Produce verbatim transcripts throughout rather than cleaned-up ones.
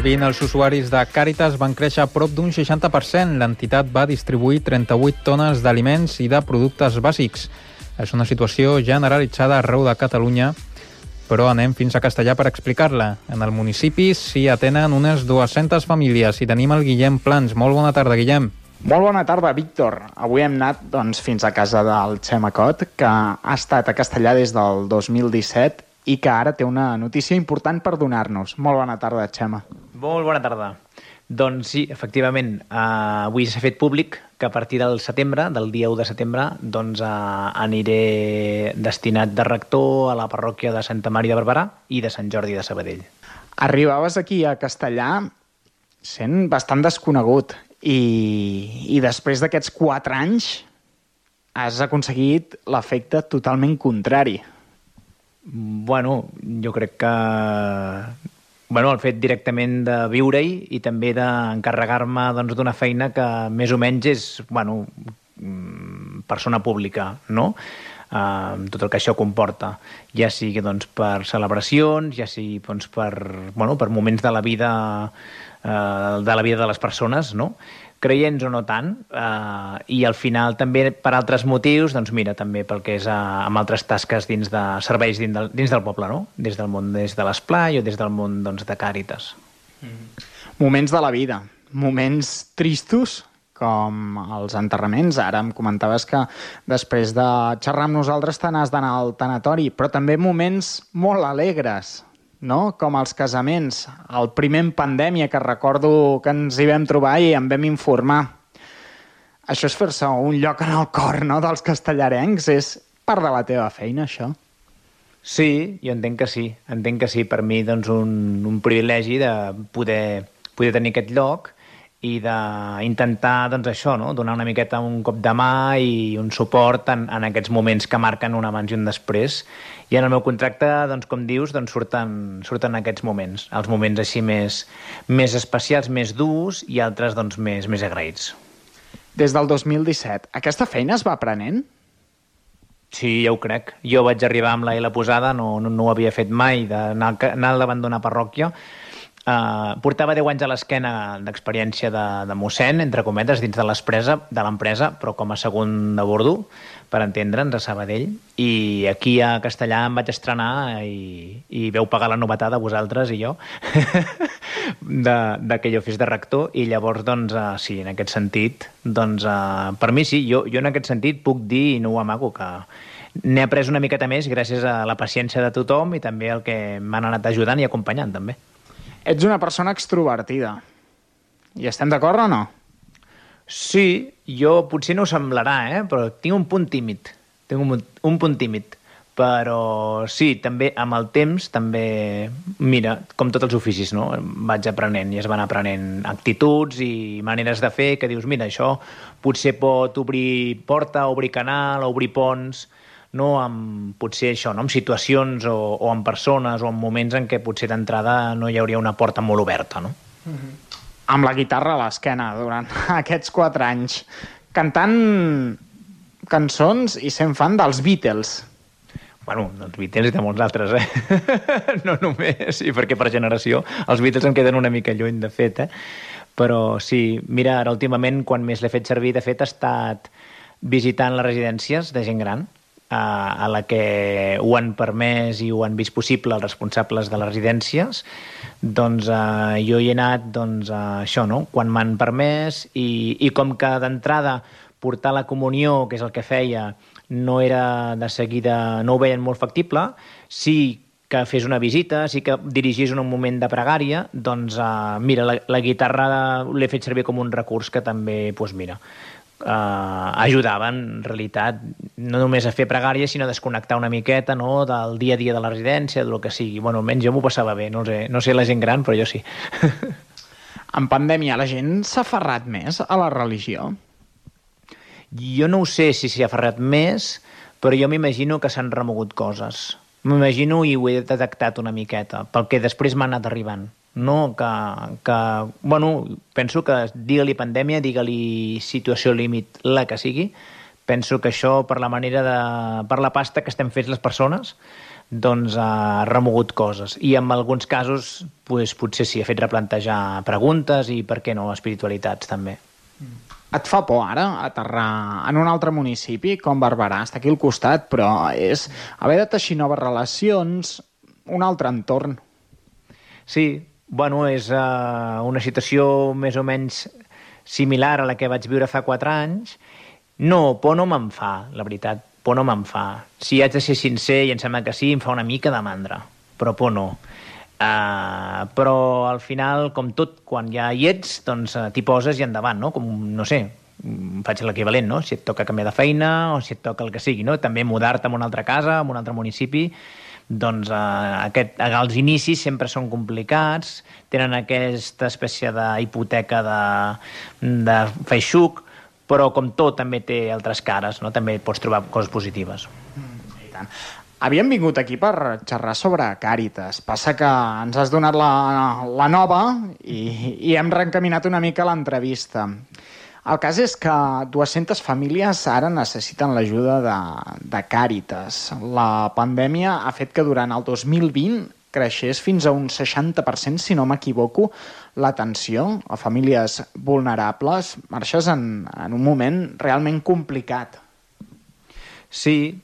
mil vint, els usuaris de Càritas van créixer a prop d'un seixanta per cent. L'entitat va distribuir trenta-vuit tones d'aliments i de productes bàsics. És una situació generalitzada arreu de Catalunya, però anem fins a Castellar per explicar-la. En el municipi s'hi atenen unes dues-centes famílies i tenim el Guillem Plans. Molt bona tarda, Guillem. Molt bona tarda, Víctor. Avui hem anat doncs, fins a casa del Xema Cot, que ha estat a Castellar des del dos mil disset i que ara té una notícia important per donar-nos. Molt bona tarda, Xema. Molt bona tarda. Doncs sí, efectivament, eh, avui s'ha fet públic que a partir del setembre, del dia u de setembre, doncs eh, aniré destinat de rector a la parròquia de Santa Maria de Barberà i de Sant Jordi de Sabadell. Arribaves aquí a Castellar sent bastant desconegut i, i després d'aquests quatre anys has aconseguit l'efecte totalment contrari. Bueno, jo crec que bueno, el fet directament de viure-hi i també d'encarregar-me doncs, d'una feina que més o menys és bueno, persona pública, no? Uh, tot el que això comporta, ja sigui doncs, per celebracions, ja sigui doncs, per, bueno, per moments de la vida uh, de la vida de les persones, no? Creients o no tant, uh, i al final també per altres motius, doncs mira, també pel que és uh, amb altres tasques dins de serveis dins del, dins del poble, no? Des del món des de l'esplai o des del món doncs, de Càritas. Mm. Moments de la vida, moments tristos, com els enterraments. Ara em comentaves que després de xerrar amb nosaltres te n'has d'anar al tanatori, però també moments molt alegres, no? Com els casaments. El primer en pandèmia, que recordo que ens hi vam trobar i em vam informar. Això és fer-se un lloc en el cor, no?, dels castellarencs. És part de la teva feina, això? Sí, jo entenc que sí. Entenc que sí. Per mi, doncs, un, un privilegi de poder, poder tenir aquest lloc i d'intentar, doncs, això, no?, donar una miqueta un cop de mà i un suport en, en aquests moments que marquen un abans i un després. I en el meu contracte, doncs, com dius, doncs, surten, surten aquests moments, els moments així més, més especials, més durs i altres doncs, més, més agraïts. Des del dos mil disset, aquesta feina es va aprenent? Sí, ja ho crec. Jo vaig arribar amb la I L posada, no, no, no ho havia fet mai, d'anar anar al davant d'una parròquia. Uh, portava deu anys a l'esquena d'experiència de, de mossèn, entre cometes, dins de l'empresa, però com a segon de bordo, per entendre'ns, a Sabadell. I aquí a Castellar em vaig estrenar i, i veu pagar la novetada vosaltres i jo de, de que jo fes de rector. I llavors, doncs, uh, sí, en aquest sentit, doncs, uh, per mi sí, jo, jo en aquest sentit puc dir, i no ho amago, que n'he après una miqueta més gràcies a la paciència de tothom i també el que m'han anat ajudant i acompanyant, també. Ets una persona extrovertida. I estem d'acord o no? Sí, jo potser no ho semblarà, eh? Però tinc un punt tímid. Tinc un, un punt tímid. Però sí, també amb el temps, també, mira, com tots els oficis, no? Vaig aprenent i es van aprenent actituds i maneres de fer que dius, mira, això potser pot obrir porta, obrir canal, obrir ponts, no, amb, potser això, no? Amb situacions o, o amb persones o en moments en què potser d'entrada no hi hauria una porta molt oberta, no? Mm-hmm. Amb la guitarra a l'esquena durant aquests quatre anys, cantant cançons i sent fan dels Beatles. Bueno, dels Beatles i de molts altres, eh? No només, i perquè per generació els Beatles em queden una mica lluny, de fet, eh? Però sí, mira, ara últimament, quan més l'he fet servir, de fet, he estat visitant les residències de gent gran, a la que ho han permès i ho han vist possible els responsables de les residències, doncs eh, jo hi he anat doncs, a això, no? Quan m'han permès i, i com que d'entrada portar la comunió, que és el que feia, no era de seguida, no ho veien molt factible, sí que fes una visita, sí que dirigís un moment de pregària, doncs eh, mira, la, la guitarra l'he fet servir com un recurs que també, doncs mira, Uh, ajudaven, en realitat, no només a fer pregària, sinó a desconnectar una miqueta, no?, del dia a dia de la residència, del que sigui. Bueno, almenys jo m'ho passava bé, no sé, no sé la gent gran, però jo sí. En pandèmia la gent s'ha aferrat més a la religió? Jo no ho sé si s'hi ha aferrat més, però jo m'imagino que s'han remogut coses. M'imagino i ho he detectat una miqueta, pel que després m'ha anat arribant. No, que, que, bueno, penso que digue-li pandèmia, digue-li situació límit, la que sigui, penso que això per la manera de, per la pasta que estem fets les persones, doncs ha remogut coses. I en alguns casos pues, potser sí, ha fet replantejar preguntes i, per què no, espiritualitats també. Et fa por ara aterrar en un altre municipi com Barberà? Està aquí al costat, però és haver de teixir noves relacions, un altre entorn. Sí, bueno, és uh, una situació més o menys similar a la que vaig viure fa quatre anys. No, por no me'n fa, la veritat. Por no me'n fa. Si haig de ser sincer, i em sembla que sí, em fa una mica de mandra, però por no. Uh, però al final, com tot, quan ja hi ets, doncs uh, t'hi poses i endavant, no? Com, no sé, faig l'equivalent, no? Si et toca canviar de feina o si et toca el que sigui, no? També mudar-te a una altra casa, a un altre municipi, doncs uh, aquest, els inicis sempre són complicats, tenen aquesta espècie d'hipoteca de, de feixuc, però com tot també té altres cares, no? També pots trobar coses positives. Mm, i tant. Havíem vingut aquí per xerrar sobre Càritas. Passa que ens has donat la, la nova i, i hem reencaminat una mica l'entrevista. El cas és que dues-centes famílies ara necessiten l'ajuda de, de Càritas. La pandèmia ha fet que durant el dos mil vint creixés fins a un seixanta per cent, si no m'equivoco, l'atenció a famílies vulnerables. Marxes en, en un moment realment complicat. Sí,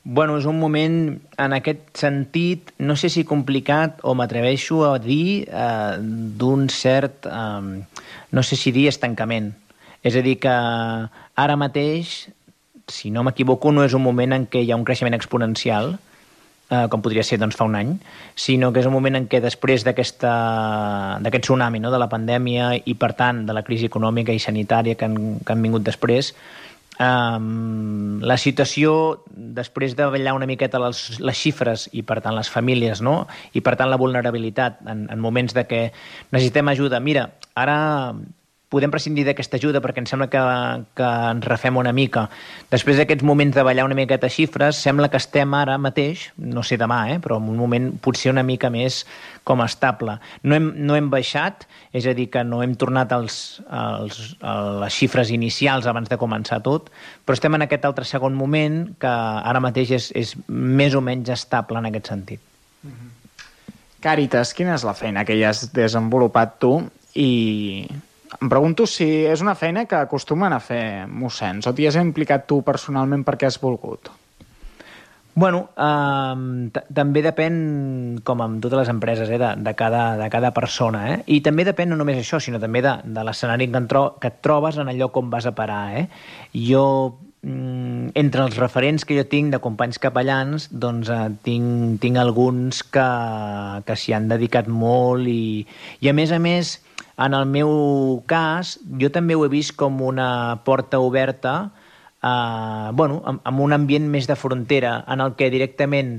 bueno, és un moment, en aquest sentit, no sé si complicat o m'atreveixo a dir eh, d'un cert, eh, no sé si dir estancament. És a dir, que ara mateix, si no m'equivoco, no és un moment en què hi ha un creixement exponencial, eh, com podria ser doncs, fa un any, sinó que és un moment en què després d'aquest tsunami, no?, de la pandèmia i, per tant, de la crisi econòmica i sanitària que han, que han vingut després, Um, la situació, després de ballar una miqueta les, les xifres i per tant les famílies, no? I per tant la vulnerabilitat en, en moments de que necessitem ajuda, mira, ara podem prescindir d'aquesta ajuda perquè ens sembla que, que ens refem una mica. Després d'aquests moments de ballar una miqueta xifres, sembla que estem ara mateix, no sé demà, eh, però en un moment potser una mica més com estable. No hem, no hem baixat, és a dir, que no hem tornat als, als, a les xifres inicials abans de començar tot, però estem en aquest altre segon moment que ara mateix és, és més o menys estable en aquest sentit. Mm-hmm. Càritas, quina és la feina que hi has desenvolupat tu? I em pregunto si és una feina que acostumen a fer mossens o t'hi has implicat tu personalment perquè has volgut? Bueno, eh, també depèn, com amb totes les empreses, eh, de, de, cada, de cada persona. Eh? I també depèn no només això, sinó també de, de l'escenari que, tro que et trobes en allò com vas a parar. Eh? Jo, mm, entre els referents que jo tinc de companys capellans, doncs eh, tinc, tinc alguns que, que s'hi han dedicat molt i, i a més a més, en el meu cas, jo també ho he vist com una porta oberta eh, bueno, amb, amb un ambient més de frontera, en el que directament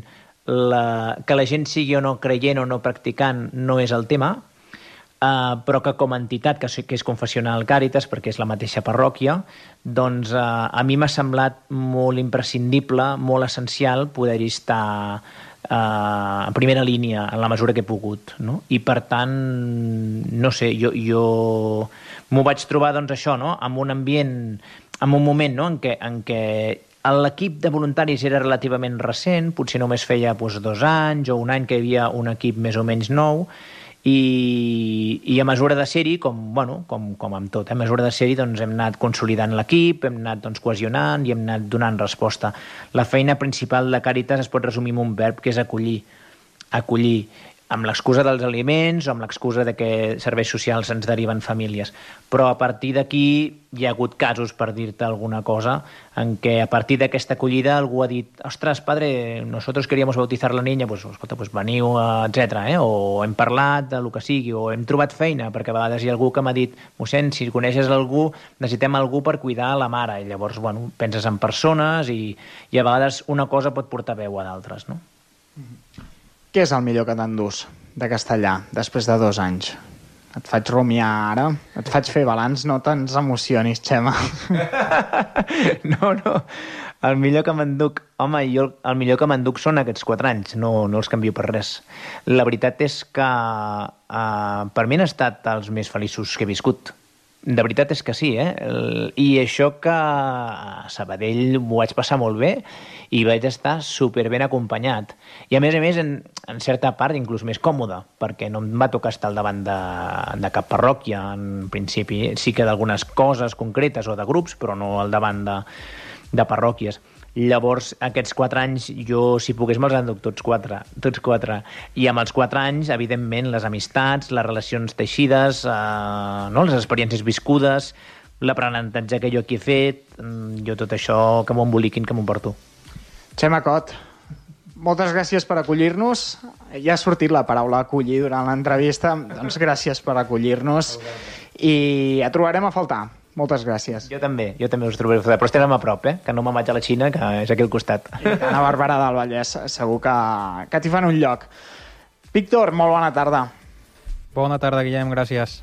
la, que la gent sigui o no creient o no practicant no és el tema, eh, però que com a entitat, que, que és Confessional Càritas, perquè és la mateixa parròquia, doncs eh, a mi m'ha semblat molt imprescindible, molt essencial poder-hi estar Uh, en primera línia, en la mesura que he pogut, no? I per tant, no sé, jo, jo m'ho vaig trobar, doncs, això, no?, amb un ambient, amb un moment, no?, en què, en què l'equip de voluntaris era relativament recent, potser només feia doncs, dos anys o un any que hi havia un equip més o menys nou, i, i a mesura de ser-hi, com, bueno, com, com amb tot, eh? a mesura de ser-hi doncs, hem anat consolidant l'equip, hem anat doncs, cohesionant i hem anat donant resposta. La feina principal de Càritas es pot resumir en un verb, que és acollir. Acollir, amb l'excusa dels aliments o amb l'excusa de que serveis socials ens deriven famílies. Però a partir d'aquí hi ha hagut casos, per dir-te alguna cosa, en què a partir d'aquesta acollida algú ha dit «Ostres, padre, nosotros queríamos bautizar la niña, pues, escolta, pues veniu, etcètera. Eh? O hem parlat de lo que sigui, o hem trobat feina, perquè a vegades hi ha algú que m'ha dit «Mossèn, si coneixes algú, necessitem algú per cuidar la mare». I llavors, bueno, penses en persones i, i a vegades una cosa pot portar veu a d'altres, no? Mm-hmm. Què és el millor que t'endús de Castellà, després de dos anys? Et faig rumiar ara, et faig fer balanç, no te'ns emocionis, Xema. No, no, el millor que m'enduc, home, jo el millor que m'enduc són aquests quatre anys, no, no els canvio per res. La veritat és que uh, per mi han estat els més feliços que he viscut. de veritat és que sí, eh? I això que a Sabadell m'ho vaig passar molt bé i vaig estar superben acompanyat. I a més a més, en, en certa part, inclús més còmode, perquè no em va tocar estar al davant de, de cap parròquia, en principi. Sí que d'algunes coses concretes o de grups, però no al davant de, de parròquies. Llavors, aquests quatre anys, jo, si pogués, me'ls enduc tots quatre, tots quatre. I amb els quatre anys, evidentment, les amistats, les relacions teixides, eh, no? Les experiències viscudes, l'aprenentatge que jo aquí he fet, jo tot això que m'ho emboliquin, que m'ho porto. Xema Cot, moltes gràcies per acollir-nos. Ja ha sortit la paraula acollir durant l'entrevista, doncs gràcies per acollir-nos i et trobarem a faltar. Moltes gràcies. Jo també, jo també us trobaré a faltar, però estem a prop, eh? Que no me'n vaig a la Xina, que és aquí al costat. I a Barberà del Vallès segur que, que t'hi fan un lloc. Víctor, molt bona tarda. Bona tarda, Guillem, gràcies.